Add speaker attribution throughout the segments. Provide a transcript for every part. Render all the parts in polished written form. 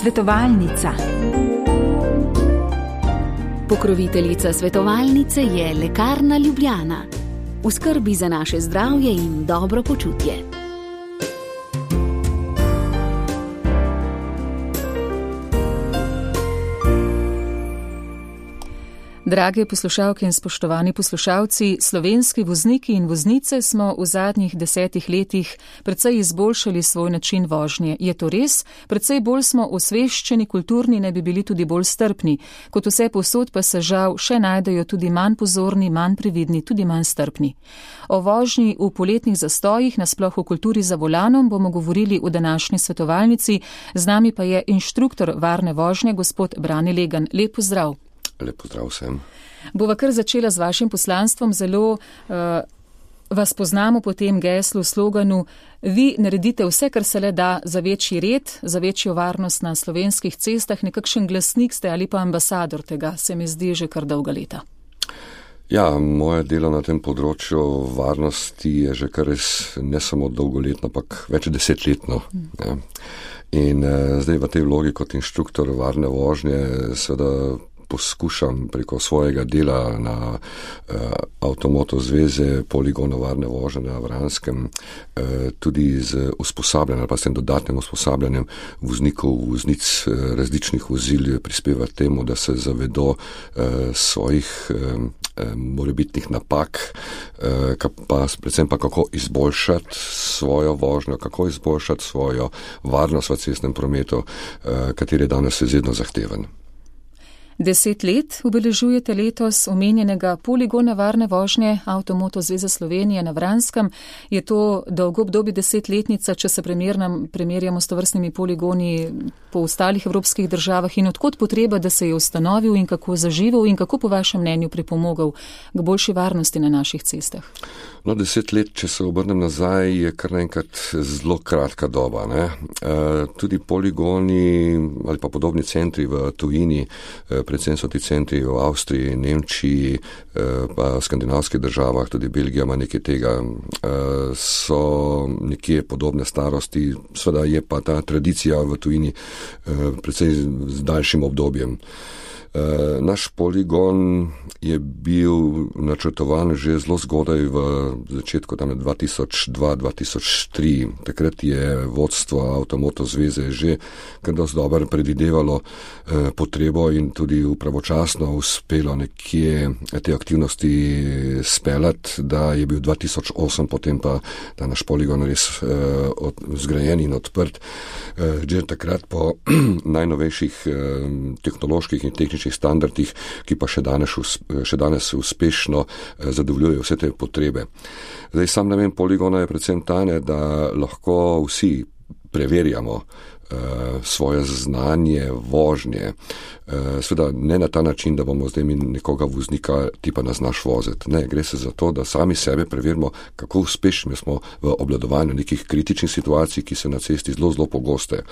Speaker 1: Svetovalnica.
Speaker 2: Pokroviteljica svetovalnice je Lekarna Ljubljana. V skrbi za naše zdravje in dobro počutje.
Speaker 3: Drage poslušalke in spoštovani poslušalci, slovenski vozniki in voznice smo v zadnjih 10 letih precej izboljšali svoj način vožnje. Je to res? Precej bolj smo osveščeni, kulturni, ne bi bili tudi bolj strpni. Kot vse povsod pa se žal še najdejo tudi manj pozorni, manj previdni, tudi manj strpni. O vožnji v poletnih zastojih, nasploh v kulturi za volanom, bomo govorili v današnji svetovalnici. Z nami pa je inštruktor varne vožnje, gospod Brane Legan. Lep pozdrav.
Speaker 4: Lep pozdrav vsem.
Speaker 3: Bova kar začela z vašim poslanstvom. Zelo vas poznamo po tem geslu, sloganu. Vi naredite vse, kar se le da za večji red, za večjo varnost na slovenskih cestah. Nekakšen glasnik ste ali pa ambasador tega, se mi zdi že kar dolga leta.
Speaker 4: Ja, moje delo na tem področju varnosti je že kar res ne samo dolgoletno, ampak več desetletno. Ja. In zdaj v tej vlogi kot inštruktor varne vožnje seveda poskušam preko svojega dela na Avtomoto zveze Poligono varne vožnje na Vranskem tudi z usposabljanjem, pa s tem dodatnim usposabljanjem voznikov, voznic različnih vozil prispevati temu, da se zavedo svojih morebitnih napak, pa predvsem pa kako izboljšati svojo vožnjo, kako izboljšati svojo varnost v cestnem prometu, kateri je danes izredno zahteven.
Speaker 3: 10 let obeležujete letos omenjenega Poligona varne vožnje Avtomoto zveze Slovenije na Vranskem. Je to dolgo obdobje 10-letnica, če se primerjamo s tovrstnimi poligoni po ostalih evropskih državah, in odkot potreba, da se je ustanovil in kako zaživel in kako po vašem mnenju pripomogel k boljši varnosti na naših cestah?
Speaker 4: No, 10 let, če se obrnem nazaj, je kar naenkrat zelo kratka doba. Ne? Tudi poligoni ali pa podobni centri v tujini, predvsem so ti centri v Avstriji, Nemčiji, pa v skandinavskih državah, tudi Belgija ima nekaj tega, so nekje podobne starosti. Sveda je pa ta tradicija v tujini predvsem z daljšim obdobjem. Naš poligon je bil načrtovan že zelo zgodaj v začetku 2002-2003. Takrat je vodstvo Avtomoto zveze že kar dosti dobro predvidevalo potrebo in tudi pravočasno uspelo nekje te aktivnosti speljati, da je bil 2008 potem pa ta naš poligon res zgrajen in odprt. Že takrat po najnovejših tehnoloških in tehničnih standardih, ki pa še danes uspešno zadovoljujejo vse te potrebe. Zdaj, sam namen poligona je predvsem tane, da lahko vsi preverjamo svoje znanje vožnje. Sveda ne na ta način, da bomo zdaj mi nekoga voznika tipa nas znaš voziti. Ne, gre se za to, da sami sebe preverimo, kako uspešni smo v obvladovanju nekih kritičnih situacij, ki so na cesti zelo pogoste.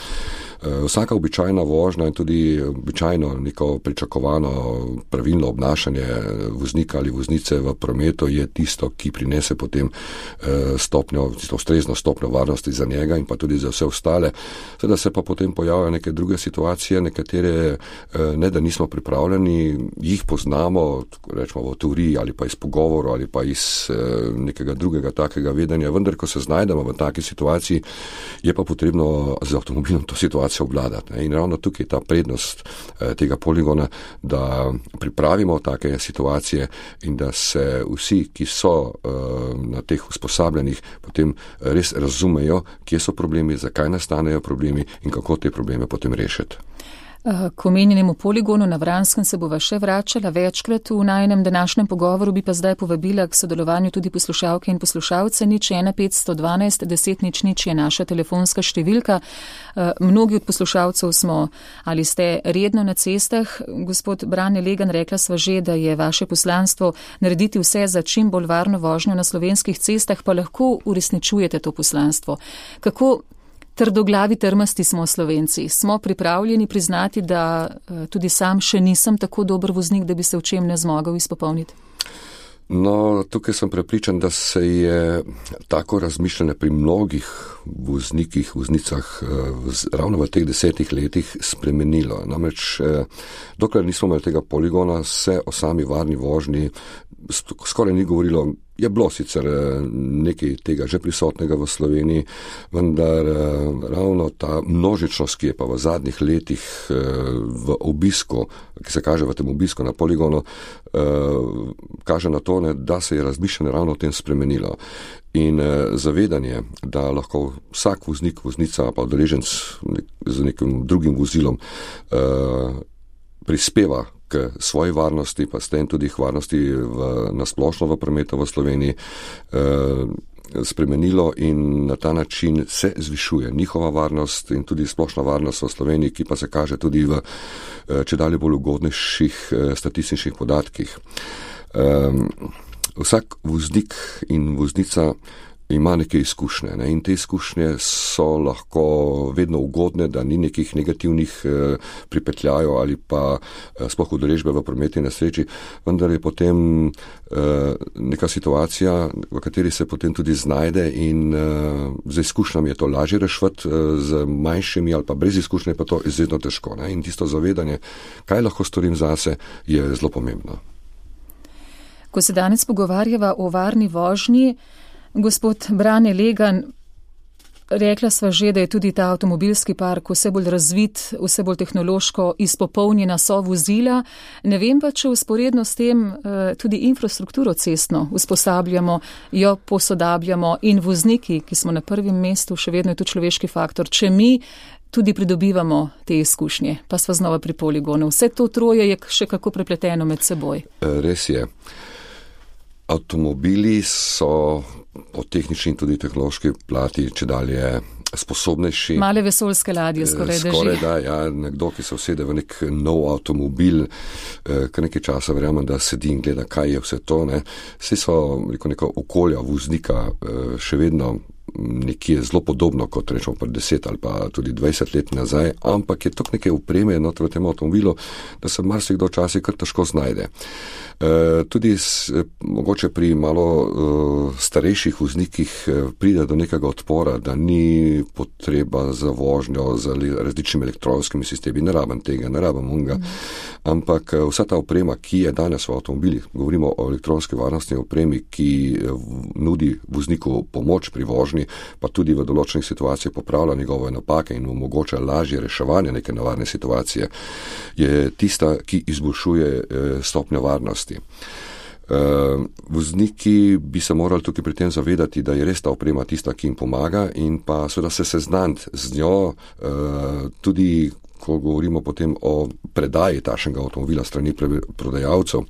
Speaker 4: Vsaka običajna vožnja in tudi običajno neko pričakovano pravilno obnašanje voznika ali voznice v prometu je tisto, ki prinese potem ustrezno stopnjo varnosti za njega in pa tudi za vse ostale. Seveda se pa potem pojavljajo neke druge situacije, nekatere ne da nismo pripravljeni, jih poznamo, rečemo v teoriji ali pa iz pogovorov ali pa iz nekega drugega takega vedenja, vendar ko se znajdemo v taki situaciji, je pa potrebno z avtomobilom to situacijo obvladati. In ravno tukaj je ta prednost tega poligona, da pripravimo take situacije in da se vsi, ki so na teh usposabljanjih, potem res razumejo, kje so problemi, zakaj nastanejo problemi in kako te probleme potem rešiti.
Speaker 3: K omenjenemu poligonu na Vranskem se bova še vračala večkrat v najinem današnjem pogovoru, bi pa zdaj povabila k sodelovanju tudi poslušalke in poslušalce. 01512 10 je naša telefonska številka. Mnogi od poslušalcev smo ali ste redno na cestah. Gospod Brane Legan, rekla sva že, da je vaše poslanstvo narediti vse za čim bolj varno vožnjo na slovenskih cestah, pa lahko uresničujete to poslanstvo. Kako trdoglavi, trmasti smo Slovenci? Smo pripravljeni priznati, da tudi sam še nisem tako dober voznik, da bi se v čem ne zmogel izpopolniti?
Speaker 4: No, tukaj sem prepričan, da se je tako razmišljanje pri mnogih voznikih, voznicah ravno v teh 10 letih spremenilo. Namreč, dokler nismo imeli tega poligona, se o sami varni vožnji skoraj ni govorilo. Je bilo sicer nekaj tega že prisotnega v Sloveniji, vendar ravno ta množičnost, ki je pa v zadnjih letih v obisku, ki se kaže v tem obisku na poligonu, kaže na to, da se je razmišljanje ravno o tem spremenilo. In zavedanje, da lahko vsak voznik, voznica pa udeleženec z nekim drugim vozilom prispeva k svoji varnosti, pa s tem tudi varnosti nasplošno v prometu v Sloveniji spremenilo in na ta način se zvišuje njihova varnost in tudi splošna varnost v Sloveniji, ki pa se kaže tudi v čedalje bolj ugodnejših statističnih podatkih. Vsak voznik in voznica ima neke izkušnje, ne? In te izkušnje so lahko vedno ugodne, da ni nekih negativnih pripetljajev ali pa sploh udeležbe v prometni nesreči, vendar je potem neka situacija, v kateri se potem tudi znajde in z izkušnjami je to lažje rešiti, z manjšimi ali pa brez izkušnje pa to izredno težko, ne? In tisto zavedanje, kaj lahko storim zase, je zelo pomembno.
Speaker 3: Ko se danes pogovarjava o varni vožnji, gospod Brane Legan, rekla sva že, da je tudi ta avtomobilski park vse bolj razvit, vse bolj tehnološko izpopolnjena so vozila. Ne vem pa, če usporedno s tem tudi infrastrukturo cestno usposabljamo, jo posodabljamo in vozniki, ki smo na prvem mestu, še vedno je tu človeški faktor, če mi tudi pridobivamo te izkušnje, pa sva znova pri poligonu. Vse to troje je še kako prepleteno med seboj.
Speaker 4: Res je. Avtomobili so po tehnični in tudi tehnološki plati čedalje sposobnejši.
Speaker 3: Male vesoljske ladje skoraj da že.
Speaker 4: Da, ja, nekdo, ki se usede v nek nov avtomobil, kar nekaj časa verjamem, da sedi in gleda, kaj je vse to. Vse so neko okolja voznika še vedno nekje zelo podobno, kot rečemo pred 10 ali pa tudi 20 let nazaj, ampak je toliko neke opreme v tem avtomobilu, da se marsikdo včasih kar težko znajde. Tudi mogoče pri malo starejših voznikih pride do nekega odpora, da ni potreba za vožnjo z različnimi elektronskimi sistemi, ne rabim tega, ne rabim onega, ampak vsa ta oprema, ki je danes v avtomobilih, govorimo o elektronski varnostni opremi, ki nudi vozniku pomoč pri vožnji, pa tudi v določenih situacijah popravlja njegove napake in omogoča lažje reševanje neke nevarne situacije, je tista, ki izboljšuje stopnjo varnosti. Vozniki bi se morali tukaj pri tem zavedati, da je res ta oprema tista, ki jim pomaga in pa seveda se seznaniti z njo, tudi ko govorimo potem o predaji takšnega avtomobila strani prodajalcev,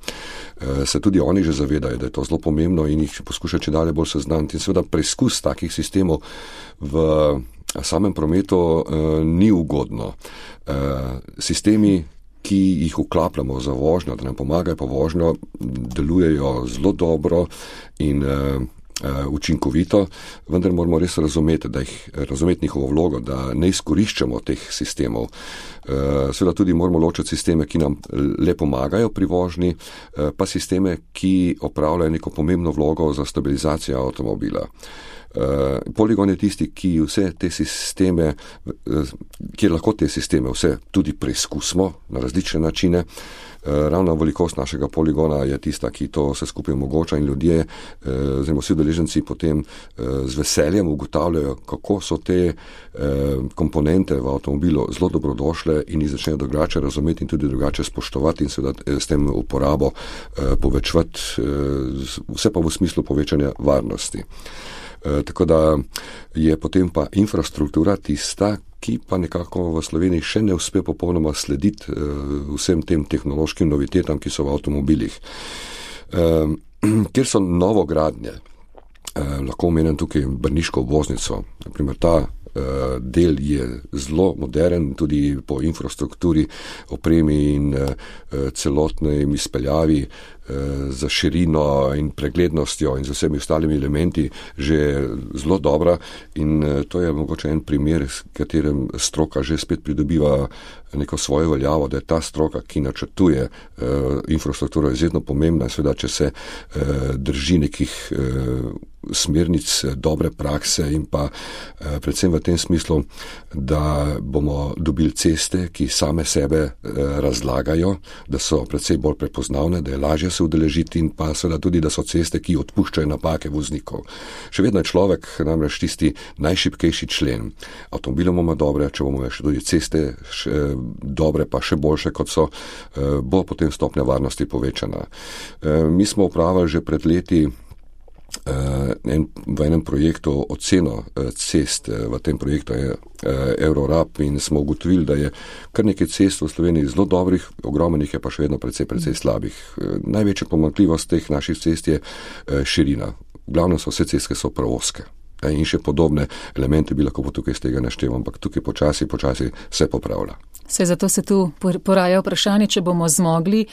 Speaker 4: se tudi oni že zavedajo, da je to zelo pomembno in jih poskušajo čedalje bolj seznaniti. In seveda preizkus takih sistemov v samem prometu ni ugodno. Sistemi, ki jih vklapljamo za vožnjo, da nam pomagajo po vožnjo, delujejo zelo dobro in učinkovito, vendar moramo res razumeti njihovo vlogo, da ne izkoriščamo teh sistemov. Seveda tudi moramo ločiti sisteme, ki nam le pomagajo pri vožnji, pa sisteme, ki opravljajo neko pomembno vlogo za stabilizacijo avtomobila. Poligon je tisti, ki vse te sisteme, kjer lahko te sisteme vse tudi preizkusimo na različne načine. Ravno velikost našega poligona je tista, ki to vse skupaj omogoča in ljudje, oziroma vsi udeleženci potem z veseljem ugotavljajo, kako so te komponente v avtomobilu zelo dobrodošle in jih začnejo drugače razumeti in tudi drugače spoštovati in seveda s tem uporabo povečevati, vse pa v smislu povečanja varnosti. Tako da je potem pa infrastruktura tista, ki pa nekako v Sloveniji še ne uspe popolnoma slediti vsem tem tehnološkim novitetam, ki so v avtomobilih. Kjer so novogradnje, lahko omenim tukaj Brniško obvoznico, naprimer ta del je zelo modern, tudi po infrastrukturi, opremi in celotnem izpeljavi za širino in preglednostjo in z vsemi ostalimi elementi že zelo dobra in to je mogoče en primer, s katerim stroka že spet pridobiva neko svojo veljavo, da je ta stroka, ki načrtuje infrastrukturo, izredno pomembna, seveda, če se drži nekih smernic dobre prakse in pa predvsem v tem smislu, da bomo dobili ceste, ki same sebe razlagajo, da so predvsem bolj prepoznavne, da je lažje se udeležiti in pa seveda tudi, da so ceste, ki odpuščajo napake voznikov. Še vedno je človek namreč tisti najšibkejši člen. Avtomobilom bomo dobre, če bomo še tudi ceste dobre, pa še boljše kot so, bo potem stopnja varnosti povečana. Mi smo upravili že pred leti v enem projektu oceno cest, v tem projektu je Eurorap in smo ugotovili, da je kar nekaj cest v Sloveniji zelo dobrih, ogromnih je pa še vedno precej slabih. Največja pomanjkljivost teh naših cest je širina. V glavnem so vse ceste so preozke. In še podobne elemente bi lahko tukaj z tega našteval, ampak tukaj počasi se popravlja.
Speaker 3: Saj zato se tu poraja vprašanje, če bomo zmogli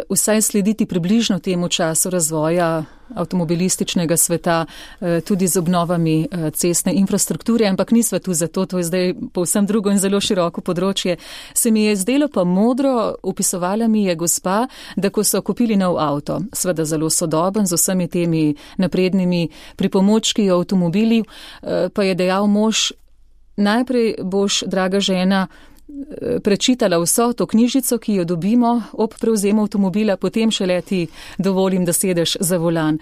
Speaker 3: vsaj slediti približno temu času razvoja avtomobilističnega sveta, tudi z obnovami cestne infrastrukture, ampak nisva tu zato, to je zdaj povsem drugo in zelo široko področje. Se mi je zdelo pa modro, opisovala mi je gospa, da ko so kupili nov avto, seveda zelo sodoben z vsemi temi naprednimi pripomočki avtomobili, pa je dejal mož, najprej boš, draga žena, prečitala vso to knjižico, ki jo dobimo ob prevzemu avtomobila, potem šele ti dovolim, da sedeš za volan.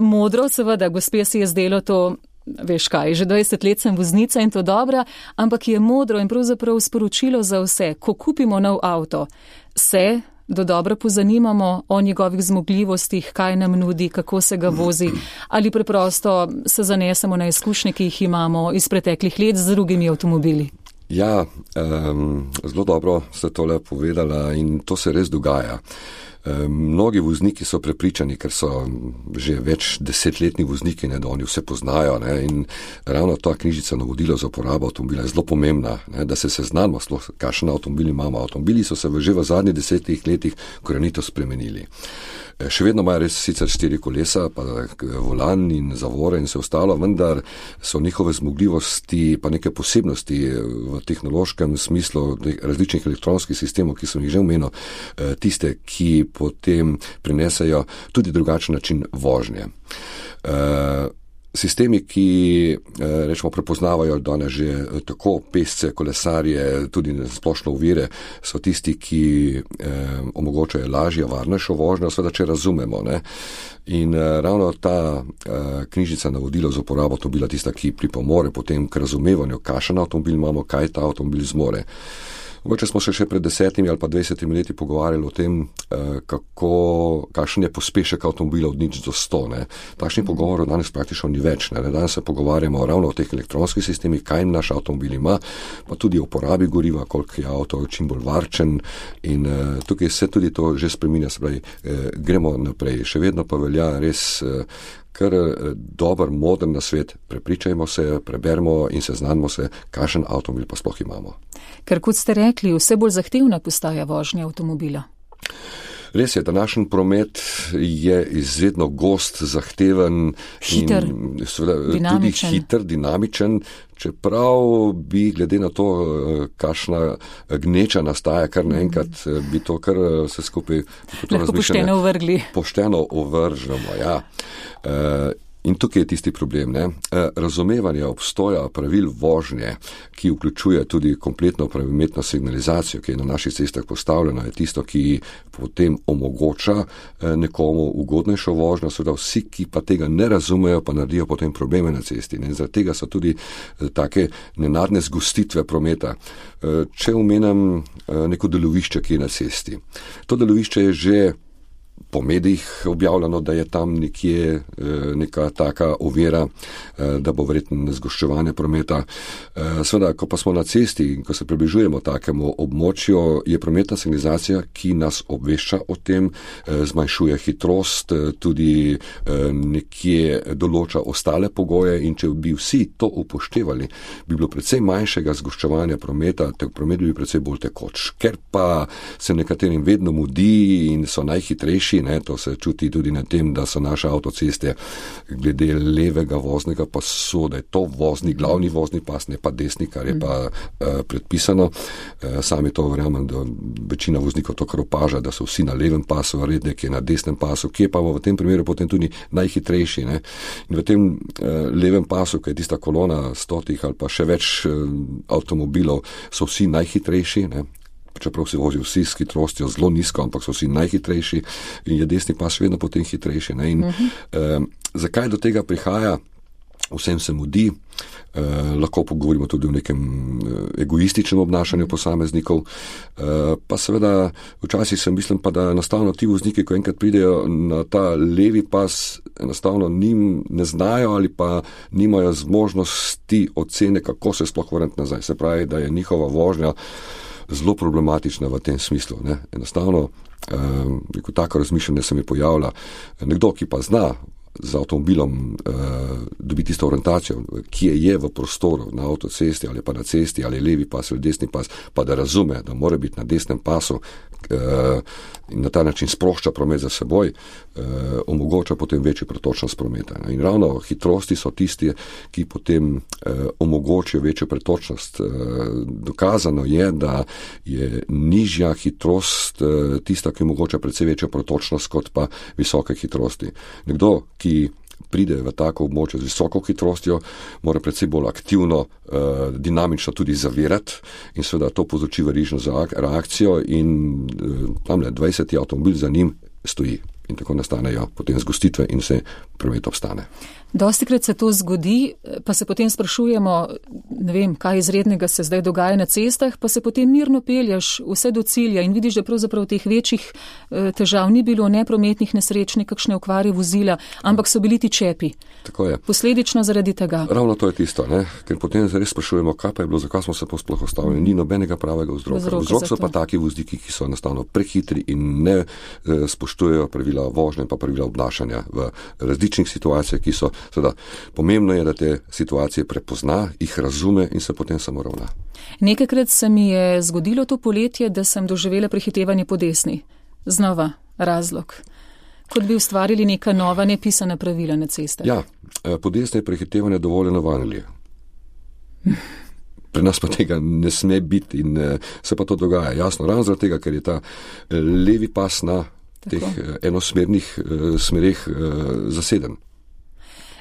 Speaker 3: Modro, seveda, gospe se je zdelo to, veš kaj, že 20 let sem voznica in to dobra, ampak je modro in pravzaprav sporočilo za vse. Ko kupimo nov avto, se dodobra pozanimamo o njegovih zmogljivostih, kaj nam nudi, kako se ga vozi, ali preprosto se zanesemo na izkušnje, ki jih imamo iz preteklih let z drugimi avtomobili.
Speaker 4: Ja, zelo dobro ste tole povedala in to se res dogaja. Mnogi vozniki so prepričani, ker so že več desetletni vozniki, da oni vse poznajo, in ravno ta knjižica navodilo za uporabo avtomobila je zelo pomembna, da se seznanimo, kakšen avtomobil imamo. Avtomobili so se že v zadnjih 10 letih korenito spremenili. Še vedno imajo res sicer 4 kolesa, pa volan in zavore in vse ostalo, vendar so njihove zmogljivosti pa neke posebnosti v tehnološkem smislu različnih elektronskih sistemov, ki sem jih že omenil, tiste, ki potem prinesajo tudi drugačen način vožnje. Sistemi, ki rečemo prepoznavajo danes že tako pešce, kolesarje, tudi splošno ovire, so tisti, ki omogočajo lažjo, varnejšo vožnjo, seveda če razumemo. In ravno ta knjižica navodilo za uporabo avtomobila tista, ki pripomore potem k razumevanju, kakšen avtomobil imamo, kaj ta avtomobil zmore. Mogoče smo se še pred 10 ali pa 20 leti pogovarjali o tem, kakšen je pospešek avtomobila od 0 do 100. Takšnih pogovorov danes praktično ni več. Danes se pogovarjamo ravno o teh elektronskih sistemih, kaj naš avtomobil ima, pa tudi o uporabi goriva, koliko je avto čim bolj varčen in tukaj se tudi to že spreminja, se pravi, gremo naprej. Še vedno pa velja res kar dober, modern nasvet, prepričajmo se, preberimo in seznanimo se, kakšen avtomobil pa sploh imamo.
Speaker 3: Ker kot ste rekli, vse bolj zahtevna postaja vožnja avtomobila.
Speaker 4: Res je, današnji promet je izredno gost, zahteven,
Speaker 3: hiter,
Speaker 4: in tudi hiter, dinamičen, čeprav bi glede na to, kakšna gneča nastaja, kar naenkrat bi to kar se skupaj pošteno ovržemo. Ja. In tukaj je tisti problem. Razumevanje obstoja pravil vožnje, ki vključuje tudi kompletno prometno signalizacijo, ki je na naših cestah postavljena, je tisto, ki potem omogoča nekomu ugodnejšo vožnjo, seveda vsi, ki pa tega ne razumejo, pa naredijo potem probleme na cesti. In zaradi tega so tudi take nenadne zgostitve prometa. Če omenim neko delovišče, ki je na cesti. To delovišče je že po medijih objavljeno, da je tam nekje neka taka ovira, da bo verjetno zgoščevanje prometa. Seveda, ko pa smo na cesti in ko se približujemo takemu območju, je prometna signalizacija, ki nas obvešča o tem, zmanjšuje hitrost, tudi nekje določa ostale pogoje in če bi vsi to upoštevali, bi bilo precej manjšega zgoščevanja prometa, promet bi bil precej bolj tekoč. Ker pa se nekaterim vedno mudi in so najhitrejši hitrejši, ne, to se čuti tudi na tem, da so naše avtoceste glede levega voznega pasu, da je to glavni vozni pas, ne pa desni, kar je pa predpisano. Sami to verjamem, da večina voznikov to kar opaža, da so vsi na levem pasu, redek je na desnem pasu, ki je pa v tem primeru potem tudi najhitrejši. Ne. In v tem levem pasu, ki je tista kolona 100 ali pa še več avtomobilov, so vsi najhitrejši, ne. Čeprav se vozijo vsi s hitrostjo zelo nizko, ampak so vsi najhitrejši in je desni pas vedno potem hitrejši. Ne. In zakaj do tega prihaja? Vsem se mudi, lahko pogovorimo tudi o nekem egoističnem obnašanju posameznikov, pa seveda včasih sem mislim pa, da enostavno ti vozniki, ko enkrat pridejo na ta levi pas, enostavno ne znajo ali pa nimajo zmožnosti ocene, kako se sploh vrniti nazaj. Se pravi, da je njihova vožnja zelo problematična v tem smislu. Ne. Enostavno, tako razmišljanje se mi pojavlja. Nekdo, ki pa zna z avtomobilom dobiti tisto orientacijo, ki je v prostoru, na avtocesti ali pa na cesti, ali levi pas ali desni pas, pa da razume, da mora biti na desnem pasu in na ta način sprošča promet za seboj, omogoča potem večjo pretočnost prometa. In ravno hitrosti so tisti, ki potem omogočijo večjo pretočnost. Dokazano je, da je nižja hitrost tista, ki omogoča precej večjo pretočnost kot pa visoke hitrosti. Nekdo, ki pride v tako območje z visoko hitrostjo, mora predvsej bolj aktivno, dinamično tudi zavirati in seveda to povzroči verižno reakcijo in tamle 20 avtomobil za njim stoji. In tako nastanejo potem zgostitve in vse promet obstane.
Speaker 3: Dostikrat se to zgodi, pa se potem sprašujemo, ne vem, kaj izrednega se zdaj dogaja na cestah, pa se potem mirno pelješ vse do cilja in vidiš, da pravzaprav teh večjih težav ni bilo, neprometnih nesreč, nekakšne okvare vozila, ampak so bili ti čepi.
Speaker 4: Tako je.
Speaker 3: Posledično zaradi tega.
Speaker 4: Ravno to je tisto, ne? Ker potem res sprašujemo, kaj pa je bilo, zakaj smo se sploh ostavili. Ni nobenega pravega vzroka. Vzrok so pa taki vozniki, ki so enostavno prehitri in ne spoštujejo pravila vožnje in pa pravila obnašanja v različnih situacijah, ki so. Seveda, pomembno je, da te situacije prepozna, jih razume in se potem samo ravna.
Speaker 3: Nekajkrat se mi je zgodilo to poletje, da sem doživela prehitevanje po desni. Znova razlog. Kot bi ustvarili neka nova nepisana pravila na cestah.
Speaker 4: Ja, po desni je prehitevanje dovoljeno v Angliji. Pri nas pa tega ne sme biti in se pa to dogaja. Jasno, ravno zaradi tega, ker je ta levi pas na teh enosmernih smereh zaseden.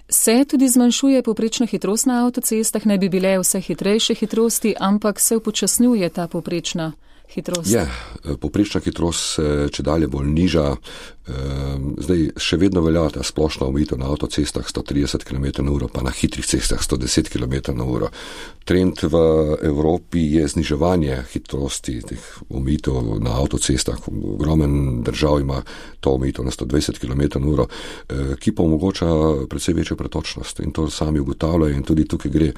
Speaker 3: Se tudi zmanjšuje povprečna hitrost na avtocestah, ne bi bile vse hitrejše hitrosti, ampak se upočasnjuje ta povprečna hitrost.
Speaker 4: Je, povprečna hitrost se čedalje bolj niža. Zdaj še vedno velja ta splošna omejitev na avtocestah 130 km/h, pa na hitrih cestah 110 km/h. Trend v Evropi je zniževanje hitrosti teh omejitev na avtocestah. Ogromen držav ima to omejitev na 120 km/h, ki pa omogoča precej večjo pretočnost in to sami ugotavljajo in tudi tukaj gre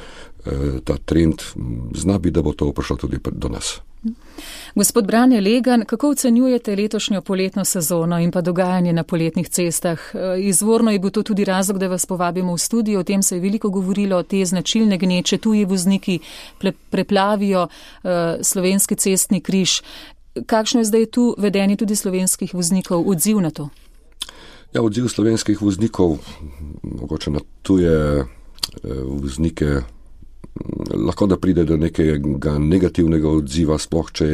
Speaker 4: ta trend. Zna biti, da bo to prišlo tudi do nas.
Speaker 3: Gospod Brane Legan, kako ocenjujete letošnjo poletno sezono in pa dogajanje na poletnih cestah? Izvorno je bil to tudi razlog, da vas povabimo v studio, o tem se je veliko govorilo, te značilne gneče, tuji vozniki preplavijo slovenski cestni križ. Kakšno je zdaj tu vedenje tudi slovenskih voznikov, odziv na to?
Speaker 4: Ja, odziv slovenskih voznikov, mogoče na tuje voznike, lahko da pride do nekega negativnega odziva, sploh če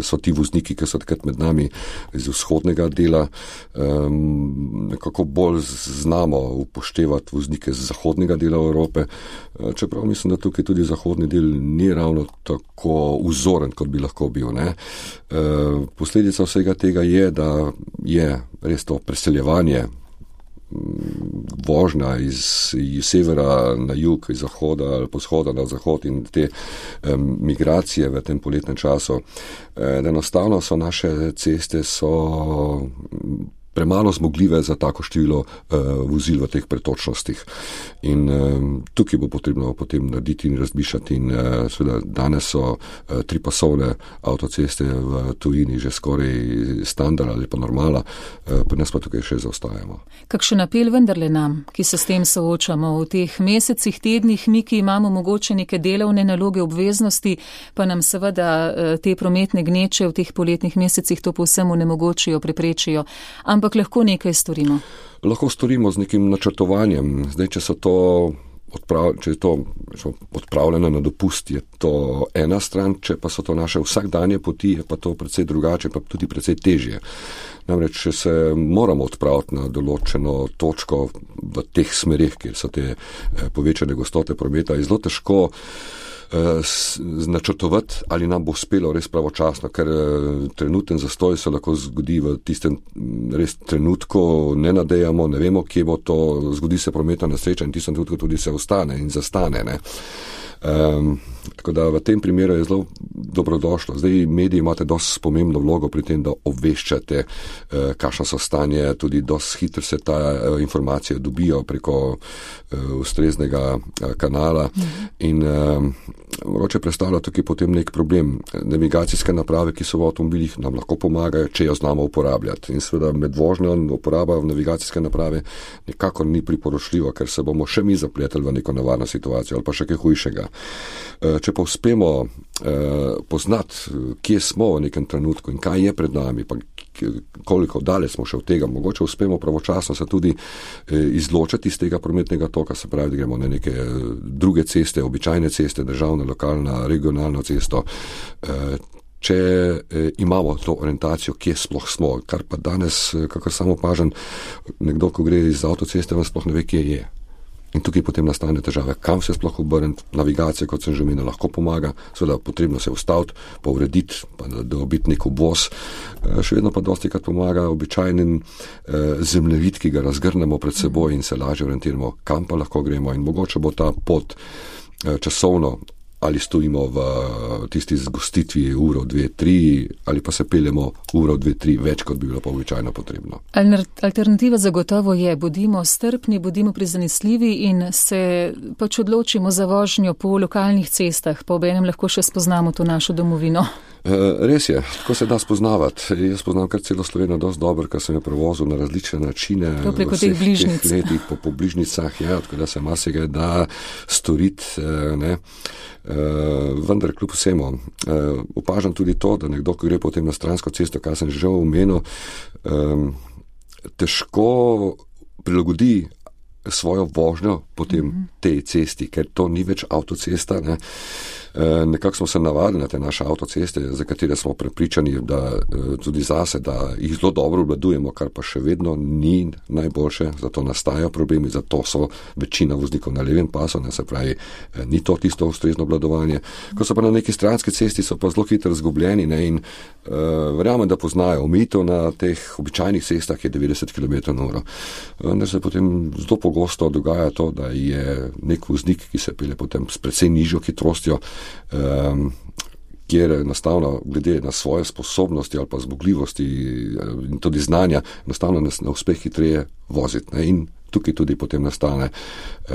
Speaker 4: so ti vozniki, ki so takrat med nami iz vzhodnega dela, nekako bolj znamo upoštevati voznike z zahodnega dela Evrope, čeprav mislim, da tukaj tudi zahodni del ni ravno tako vzoren, kot bi lahko bil. Ne? Posledica vsega tega je, da je res to preseljevanje, vožnja iz severa na jug, iz zahoda ali po vzhoda na zahod in te migracije v tem poletnem času. Enostavno so naše ceste premalo zmogljive za tako število vozil v teh pretočnostih. In tukaj bo potrebno potem narediti in razmišljati. In seveda danes so tripasovne avtoceste v tujini že skoraj standard ali pa normala, pri nas pa tukaj še zaostajamo.
Speaker 3: Kakšen apel vendarle nam, ki se s tem soočamo v teh mesecih, tednih, mi, ki imamo mogoče neke delovne naloge, obveznosti, pa nam seveda te prometne gneče v teh poletnih mesecih to povsem onemogočijo, preprečijo. Ampak lahko nekaj storimo.
Speaker 4: Lahko storimo z nekim načrtovanjem. Zdaj, če je to odpravljeno na dopust, je to ena stran, če pa so to naše vsakdanje poti, je pa to precej drugače, pa tudi precej težje. Namreč, če se moramo odpraviti na določeno točko v teh smerih, kjer so te povečane gostote prometa, je zelo težko načrtovati, ali nam bo uspelo res pravočasno, ker trenuten zastoj se lahko zgodi v tistem res trenutku, ne nadejamo, ne vemo, kje bo to, zgodi se prometna nesreča in tistem trenutku tudi se ustane in zastane, ne. Tako da v tem primeru je zelo dobrodošlo. Zdaj mediji imate dosti pomembno vlogo pri tem, da obveščate, kakšno so stanje, tudi dosti hitro se ta informacije dobijo preko ustreznega kanala in mogoče predstavlja tukaj potem nek problem. Navigacijske naprave, ki so v avtomobilih, nam lahko pomagajo, če jo znamo uporabljati. In seveda med vožnjo uporaba navigacijske naprave nekako ni priporočljivo, ker se bomo še mi zapletali v neko nevarno situacijo ali pa še kaj hujšega. Če pa uspemo poznati, kje smo v nekem trenutku in kaj je pred nami, pa koliko daleč smo še od tega, mogoče uspemo pravočasno se tudi izločiti iz tega prometnega toka, se pravi, da gremo na neke druge ceste, običajne ceste, državna, lokalna, regionalna cesto, če imamo to orientacijo, kje sploh smo, kar pa danes, kakor sam opažam, nekdo, ko gre iz avtoceste, vam sploh ne ve, kje je. In tukaj potem nastane težave, kam se sploh obrniti, navigacija, kot sem že omenil, lahko pomaga, seveda potrebno se ustaviti, pa urediti, pa dobiti nek obvoz. Še vedno pa dostikrat pomaga običajnen zemljevid, ki ga razgrnemo pred seboj in se lažje orientiramo, kam pa lahko gremo in mogoče bo ta pot časovno, ali stojimo v tisti zgostitvi uro, 2, 3, ali pa se peljemo uro, 2, 3 več, kot bi bilo pa običajno potrebno.
Speaker 3: Alternativa zagotovo je, bodimo strpni, bodimo prizanesljivi in se pač odločimo za vožnjo po lokalnih cestah, pa obenem lahko še spoznamo to našo domovino.
Speaker 4: Res je, tako se da spoznavati. Jaz poznam kar celo Slovenijo dosti dobro, ker sem jo prevozil na različne načine.
Speaker 3: To preko teh bližnic.
Speaker 4: Letih, po bližnicah, ja, tako da se marsikaj da storiti, ne. Vendar kljub vsemu opažam tudi to, da nekdo, ko gre potem na stransko cesto, kar sem že omenil, težko prilagodi svojo vožnjo potem tej cesti, ker to ni več avtocesta, ne. Nekako smo se navadili na te naše avtoceste, za katere smo prepričani, da tudi zase, da jih zelo dobro obvladujemo, kar pa še vedno ni najboljše, zato nastajajo problemi, zato so večina voznikov na levem pasu, ne, se pravi, ni to tisto ustrezno obvladovanje. Ko so pa na neki stranski cesti, so pa zelo hitro izgubljeni, ne, in verjamem, da poznajo omejitev na teh običajnih cestah je 90 km/h. Vendar se potem zelo pogosto dogaja to, da je nek voznik, ki se pelje potem s precej nižjo hitrostjo, kjer enostavno glede na svoje sposobnosti ali pa zmogljivosti in tudi znanja enostavno na uspeh hitreje voziti, ne? In tukaj tudi potem nastane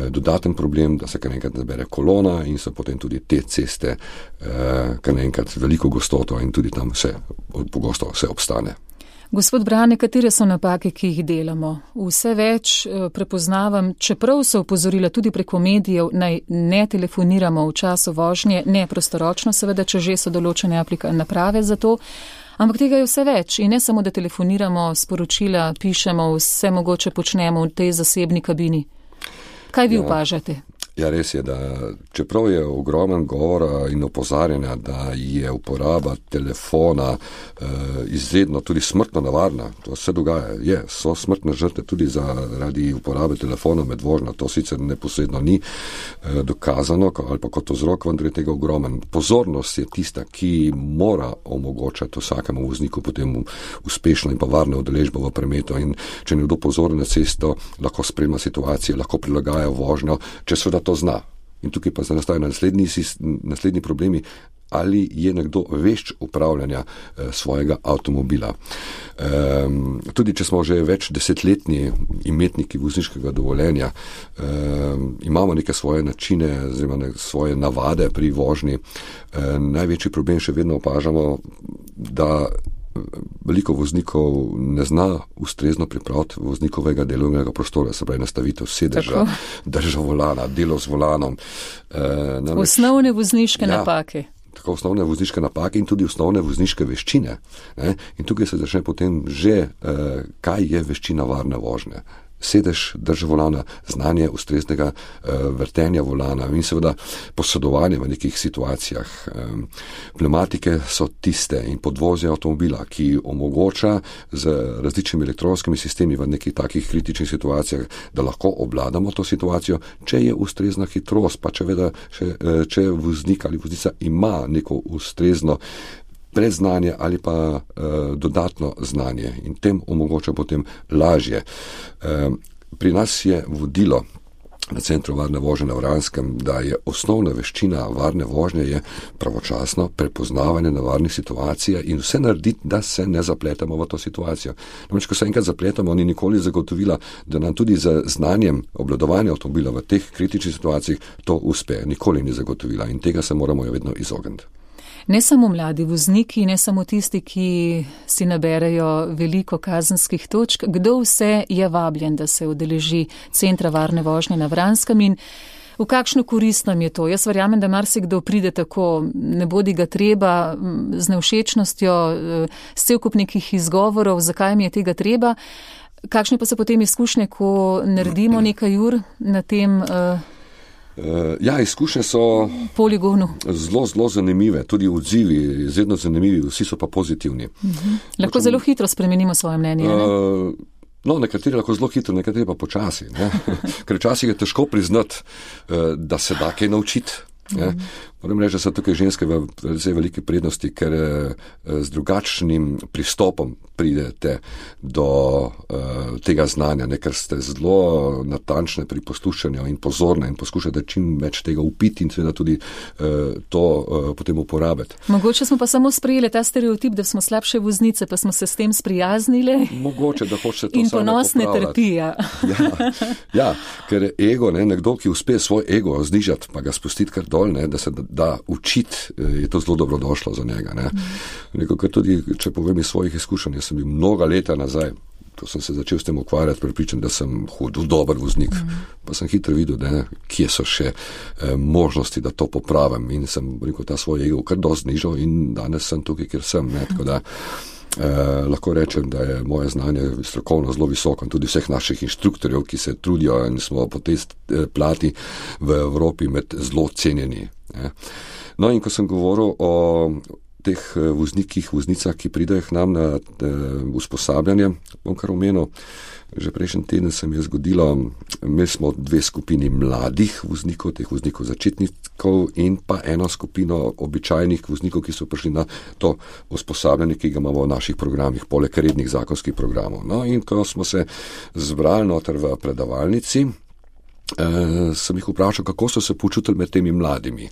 Speaker 4: dodaten problem, da se kar enkrat nabere kolona in so potem tudi te ceste kar enkrat veliko gostoto in tudi tam pogosto vse obstane.
Speaker 3: Gospod Brane, katere so napake, ki jih delamo? Vse več prepoznavam, čeprav so opozorila tudi preko medijev, naj ne telefoniramo v času vožnje, ne prostoročno, seveda, če že so določene naprave za to, ampak tega je vse več in ne samo, da telefoniramo, sporočila, pišemo, vse mogoče počnemo v tej zasebni kabini. Kaj vi opažate?
Speaker 4: Ja, res je, da čeprav je ogromen govora in opozarjanja, da je uporaba telefona izredno tudi smrtno nevarna, to se dogaja, so smrtne žrtve tudi zaradi uporabe telefona med vožnjo, to sicer neposredno ni dokazano ali pa kot vzrok, vendar je tega ogromen. Pozornost je tista, ki mora omogočati vsakemu vozniku potem uspešno in pa varno udeležbo v prometu in če nekdo pozoren na cesto, lahko spremlja situacije, lahko prilagaja vožnjo, če seveda to zna. In tukaj pa nastajajo naslednji problemi, ali je nekdo vešč upravljanja svojega avtomobila. Tudi če smo že več desetletni imetniki vozniškega dovoljenja, imamo neke svoje načine, oziroma svoje navade pri vožnji. Največji problem še vedno opažamo, da veliko voznikov ne zna ustrezno pripraviti voznikovega delovnega prostora, se pravi nastavitev sedeža, drža volana, delo z volanom.
Speaker 3: Osnovne vozniške napake.
Speaker 4: tako osnovne vozniške napake in tudi osnovne vozniške veščine. Ne? In tukaj se začne potem že, kaj je veščina varne vožnje. Sedež, drža volana, znanje ustreznega vrtenja volana in seveda posedovanje v nekih situacijah. Pneumatike so tiste in podvozje avtomobila, ki omogoča z različnimi elektronskimi sistemi v nekih takih kritičnih situacijah, da lahko obvladamo to situacijo, če je ustrezna hitrost, pa če voznik ali voznica ima neko ustrezno predznanje ali pa dodatno znanje in tem omogoča potem lažje. Pri nas je vodilo na Centru varne vožnje na Vranskem, da je osnovna veščina varne vožnje je pravočasno prepoznavanje nevarnih situacij in vse narediti, da se ne zapletamo v to situacijo. Namreč, ko se enkrat zapletamo, ni nikoli zagotovila, da nam tudi z znanjem obvladovanja avtomobila v teh kritičnih situacijah to uspe. Nikoli ni zagotovila in tega se moramo vedno izogniti.
Speaker 3: Ne samo mladi vozniki, ne samo tisti, ki si naberejo veliko kazenskih točk, kdo vse je vabljen, da se udeleži Centra varne vožnje na Vranskem in v kakšno korist nam je to? Jaz verjamem, da marsikdo pride tako, ne bodi ga treba, z nevšečnostjo, s cel kup nekih izgovorov, zakaj mi je tega treba. Kakšne pa so potem izkušnje, ko naredimo nekaj ur na tem
Speaker 4: izkušnje so
Speaker 3: poligonu
Speaker 4: zelo zanimive, tudi odzivi, izredno zanimivi, vsi so pa pozitivni.
Speaker 3: Lahko zelo hitro spremenimo svoje mnenje, ne?
Speaker 4: Nekateri lahko zelo hitro, nekateri pa počasi. Ne? Ker včasih je težko priznati, da se da kaj naučiti. Moram reči, da so tukaj ženske v zelo velike prednosti, ker z drugačnim pristopom pridete do tega znanja, ker ste zelo natančne pri poslušanju in pozorne in poskušate čim več tega upiti in seveda tudi to potem uporabiti.
Speaker 3: Mogoče smo pa samo sprejeli ta stereotip, da smo slabše voznice, pa smo se s tem sprijaznili.
Speaker 4: Mogoče, da hočete to
Speaker 3: in ponosne trpija.
Speaker 4: Ker ego, nekdo, ki uspe svoj ego znižati, pa ga spustiti kar dol, da se da učiti, je to zelo dobrodošlo za njega. Nekako tudi, če povem iz svojih izkušenj, sem bil mnoga leta nazaj, ko sem se začel s tem ukvarjati, prepričan, da sem dober voznik. Pa sem hitro videl, kje so še možnosti, da to popravim in sem ta svoj ego kar dosti znižal in danes sem tukaj, kjer sem. Tako da lahko rečem, da je moje znanje strokovno zelo visoko in tudi vseh naših inštruktorjev, ki se trudijo in smo po tej plati v Evropi med zelo cenjeni. No in ko sem govoril o teh voznikih, voznicah, ki pridejo k nam na usposabljanje, bom kar omenil, že prejšnji teden se mi je zgodilo, imeli smo 2 skupini mladih voznikov, teh voznikov začetnikov in pa eno skupino običajnih voznikov, ki so prišli na to usposabljanje, ki ga imamo v naših programih, poleg rednih zakonskih programov. No in ko smo se zbrali noter v predavalnici, sem jih vprašal, kako so se počutili med temi mladimi.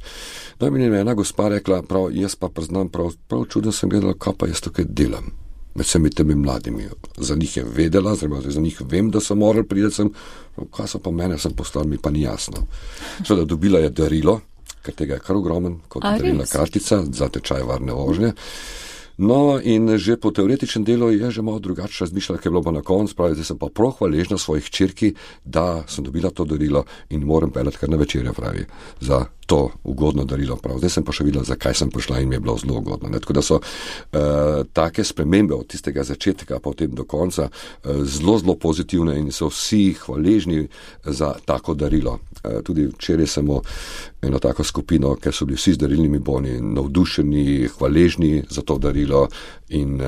Speaker 4: No in mi je ena gospa rekla, jaz pa priznam, prav čudno sem gledala, kaj pa jaz tukaj delam med vsemi temi mladimi. Za njih je vedela, za njih vem, da so morali priti sem, kaj so pa mene sem poslali, mi pa ni jasno. Seveda dobila je darilo, ker tega je kar ogromen, kot darilna kartica za tečaj varne vožnje. No in že po teoretičnem delu je že malo drugače razmišljala, ker je bilo pa na koncu, pravi, zdaj sem pa prav hvaležna svojih hčerki, da sem dobila to darilo in moram peljati kar na večerjo, pravi, za to ugodno darilo. Prav. Zdaj sem pa še videla, zakaj sem prišla in mi je bilo zelo ugodno. Tako da so take spremembe od tistega začetka pa potem do konca zelo pozitivne in so vsi hvaležni za tako darilo. Tudi včeraj sem eno tako skupino, ker so bili vsi z darilnimi boni navdušeni, hvaležni za to darilo in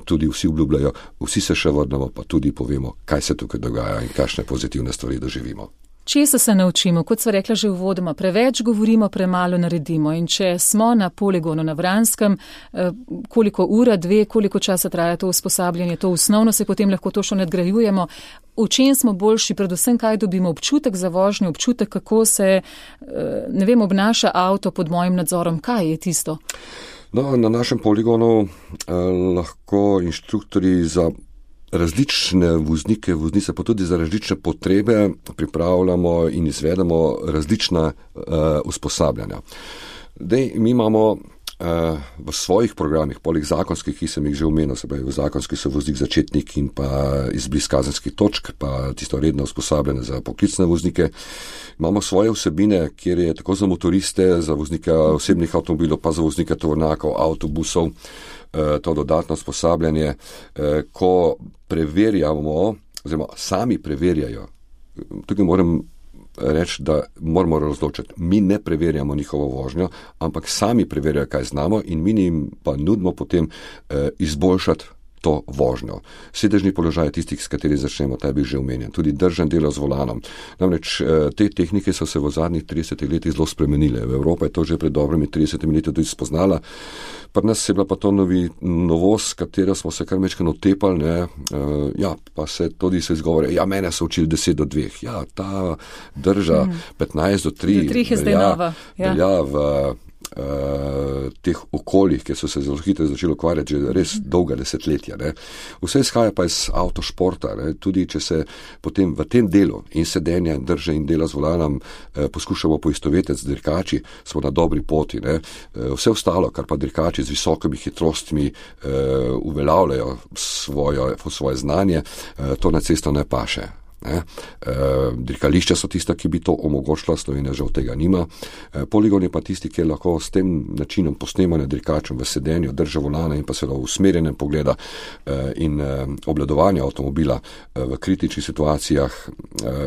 Speaker 4: tudi vsi obljubljajo, vsi se še vrnemo, pa tudi povemo, kaj se tukaj dogaja in kakšne pozitivne stvari doživimo.
Speaker 3: Česa se naučimo? Kot sva rekla že uvodoma, preveč govorimo, premalo naredimo. In če smo na poligonu na Vranskem, koliko ura, 2, koliko časa traja to usposabljanje, to osnovno se potem lahko to še nadgrajujemo. V čem smo boljši, predvsem kaj dobimo, občutek za vožnjo, občutek, kako se, obnaša avto pod mojim nadzorom, kaj je tisto?
Speaker 4: No, na našem poligonu lahko inštruktori za različne voznike, voznice, pa tudi za različne potrebe pripravljamo in izvedemo različna usposabljanja. Mi imamo v svojih programih, poleg zakonskih, ki sem jih že omenil, se pravi v zakonski so voznik začetnik in pa izbris kazenskih točk, pa tisto redno usposabljanje za poklicne voznike. Imamo svoje vsebine, kjer je tako za motoriste, za voznike osebnih avtomobilov, pa za voznike tovornjakov, avtobusov, to dodatno usposabljanje, ko preverjamo, oziroma sami preverjajo. Tukaj moram reči, da moramo razločiti. Mi ne preverjamo njihovo vožnjo, ampak sami preverjajo, kaj znamo in mi jim pa nudimo potem izboljšati to vožnjo. Sedežni položaj tistih, s katerih začnemo, ta je bil že omenjen. Tudi držan delo z volanom. Namreč te tehnike so se v zadnjih 30 letih zelo spremenile. V Evropi je to že pred dobrimi 30 leti tudi spoznala. Pri nas je bila pa to novost, katero smo se kar mečkano otepali, pa se tudi se izgovore, mene so učili 10 do 2. Ja, ta drža 15 do 3 velja v teh okoljih, ki so se zelo hitro začeli ukvarjati že res dolga desetletja. Ne. Vse izhaja pa iz avtošporta, ne. Tudi če se potem v tem delu in sedenja in drže in dela z volanom poskušamo poistovetiti z dirkači, smo na dobri poti. Ne. Vse ostalo, kar pa dirkači z visokimi hitrostmi uveljavljajo svoje znanje, to na cesto ne paše. Dirkališča so tista, ki bi to omogočila, Slovenija žal tega nima. Poligon je pa tisti, ki lahko s tem načinom posnemanja dirkačem v sedenju, drže volana in pa seveda v usmerjenem pogleda in obvladovanja avtomobila v kritičnih situacijah,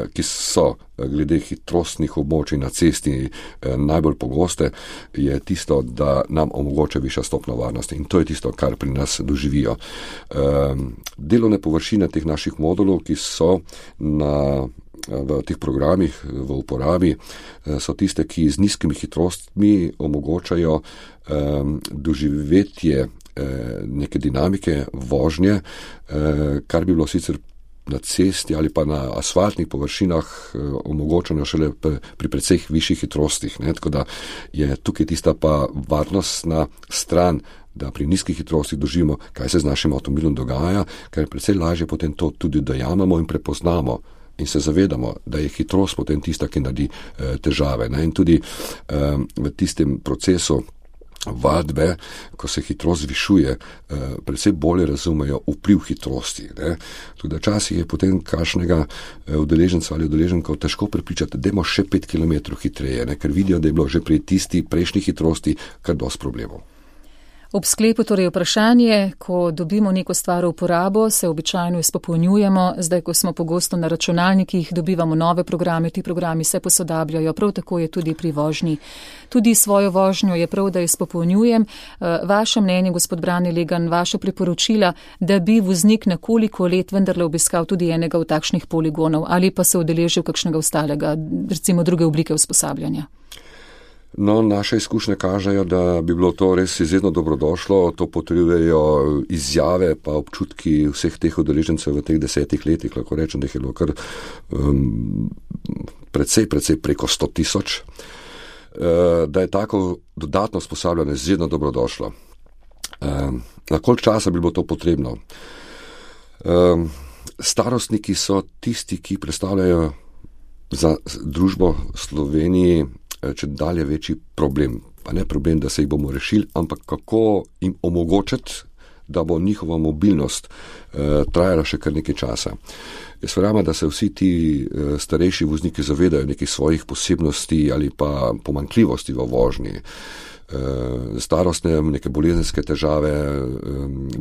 Speaker 4: ki so glede hitrostnih območij na cesti najbolj pogoste, je tisto, da nam omogoča višja stopnja varnosti in to je tisto, kar pri nas doživijo. Delovne površine teh naših modulov, ki so v teh programih v uporabi, so tiste, ki z nizkimi hitrostmi omogočajo doživetje neke dinamike vožnje, kar bi bilo sicer na cesti ali pa na asfaltnih površinah omogočeno šele pri precej višjih hitrostih. Ne? Tako da je tukaj tista pa varnostna stran, da pri nizkih hitrostih doživimo, kaj se z našim avtomobilom dogaja, ker je precej lažje potem to tudi dojamemo in prepoznamo in se zavedamo, da je hitrost potem tista, ki naredi težave. Ne? In tudi v tistem procesu vadbe, ko se hitrost zvišuje, predvsej bolje razumejo vpliv hitrosti. Ne? Tudi časih je potem kakšnega udeleženca ali udeleženkov težko prepričati, da imamo še 5 km hitreje, ne? Ker vidijo, da je bilo že pri tisti prejšnji hitrosti kar dosti problemov.
Speaker 3: Ob sklepu torej vprašanje, ko dobimo neko stvar v uporabo, se običajno izpopolnjujemo, zdaj ko smo pogosto na računalnikih, dobivamo nove programe, ti programi se posodabljajo, prav tako je tudi pri vožnji. Tudi svojo vožnjo je prav, da izpopolnjujem. Vaše mnenje, gospod Brane Legan, vaše priporočila, da bi voznik na koliko let vendarle obiskal tudi enega od takšnih poligonov ali pa se udeležil kakšnega ostalega, recimo druge oblike usposabljanja?
Speaker 4: No, naše izkušnje kažejo, da bi bilo to res izredno dobrodošlo, to potrjujejo izjave pa občutki vseh teh udeležencev v teh 10 letih, lahko rečem, da je bilo kar precej preko 100 000, da je tako dodatno usposabljanje izredno dobrodošlo. Na koliko časa bi bilo to potrebno? Starostniki so tisti, ki predstavljajo za družbo Sloveniji če dalje večji problem. Pa ne problem, da se jih bomo rešili, ampak kako jim omogočiti, da bo njihova mobilnost trajala še kar nekaj časa. Jaz verjamem, da se vsi ti starejši vozniki zavedajo nekih svojih posebnosti ali pa pomanjkljivosti v vožnji. Starostne, neke bolezenske težave,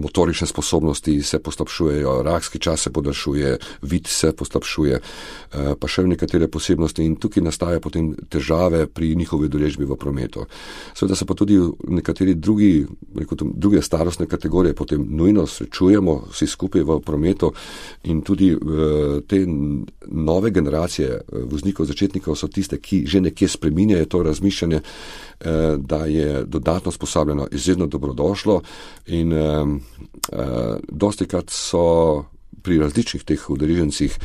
Speaker 4: motorične sposobnosti se poslabšujejo, rakski čas se podaljšuje, vid se poslabšuje, pa še nekatere posebnosti in tukaj nastaja potem težave pri njihovi udeležbi v prometu. Seveda se pa tudi nekateri druge starostne kategorije potem nujno srečujemo vsi skupaj v prometu in tudi te nove generacije voznikov, začetnikov so tiste, ki že nekje spreminjajo to razmišljanje, da je dodatno usposabljeno izredno dobrodošlo in dostikrat so pri različnih teh udeležencih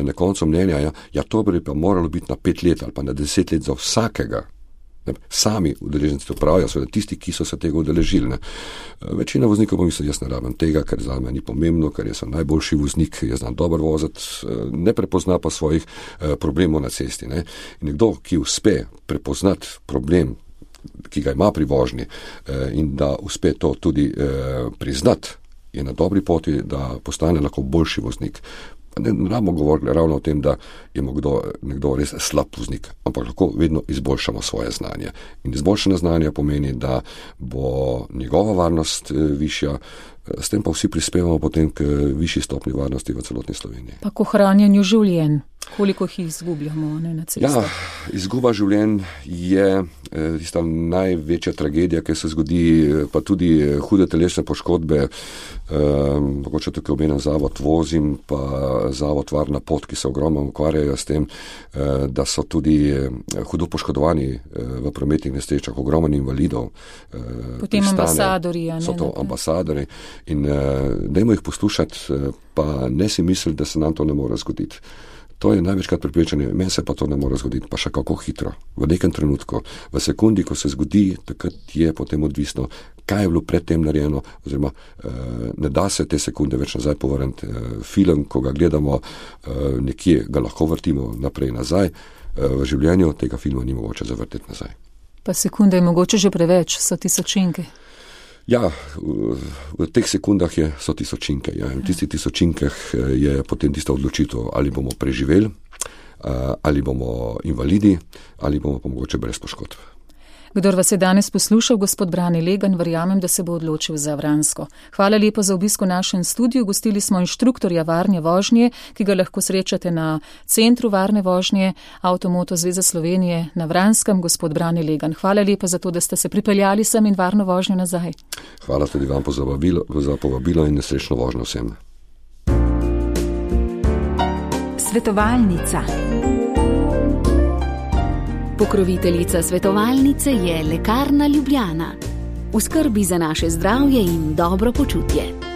Speaker 4: na koncu mnenja, to bi pa moralo biti na 5 let ali pa na 10 let za vsakega. Sami udeleženci to pravijo, seveda tisti, ki so se tega udeležili. Večina voznikov pa misli, jaz ne rabim tega, ker za me ni pomembno, ker jaz sem najboljši voznik, jaz znam dobro voziti, ne prepozna pa svojih problemov na cesti. Ne. In nekdo, ki uspe prepoznati problem ki ga ima pri vožnji in da uspe to tudi priznati, je na dobri poti, da postane lahko boljši voznik. Ne rabimo govoriti ravno o tem, da je nekdo res slab voznik, ampak lahko vedno izboljšamo svoje znanje. In izboljšanje znanja pomeni, da bo njegova varnost višja, s tem pa vsi prispevamo potem k višji stopni varnosti v celotni Sloveniji.
Speaker 3: Pa k ohranjanju življenj. Koliko jih izgubljamo na cestah?
Speaker 4: Ja, izguba življenj je tista največja tragedija, ki se zgodi, pa tudi hude telesne poškodbe. Mogoče tukaj omenim Zavod Vozim, pa Zavod Varna pot, ki se ogromno ukvarjajo s tem, da so tudi hudo poškodovani v prometnih nesrečah, ogromno invalidov.
Speaker 3: Potem ambasadori.
Speaker 4: So to ambasadori in dajmo jih poslušati, pa ne si misliti, da se nam to ne more zgoditi. To je največkrat prepričanje, meni se pa to ne more zgoditi, pa še kako hitro, v nekem trenutku, v sekundi, ko se zgodi, takrat je potem odvisno, kaj je bilo predtem narejeno, oziroma ne da se te sekunde več nazaj povrniti. Film, ko ga gledamo, nekje ga lahko vrtimo naprej nazaj, v življenju tega filma ni mogoče zavrteti nazaj.
Speaker 3: Pa sekunde je mogoče že preveč, so tisočinke.
Speaker 4: Ja, v teh sekundah so tisočinke. Ja. V tistih tisočinkah je potem tista odločitev, ali bomo preživeli, ali bomo invalidi, ali bomo pa mogoče brez poškodb.
Speaker 3: Kdor vas je danes poslušal, gospod Brane Legan, verjamem, da se bo odločil za Vransko. Hvala lepa za obisk v našem studiu. Gostili smo inštruktorja varne vožnje, ki ga lahko srečate na Centru varne vožnje Avtomoto Zveze Slovenije na Vranskem. Gospod Brane Legan, hvala lepa za to, da ste se pripeljali sem in varno vožnjo nazaj.
Speaker 4: Hvala tudi vam za povabilo in nesrečno vožnjo vsem.
Speaker 2: Svetovalnica. Pokroviteljica svetovalnice je Lekarna Ljubljana. V skrbi za naše zdravje in dobro počutje.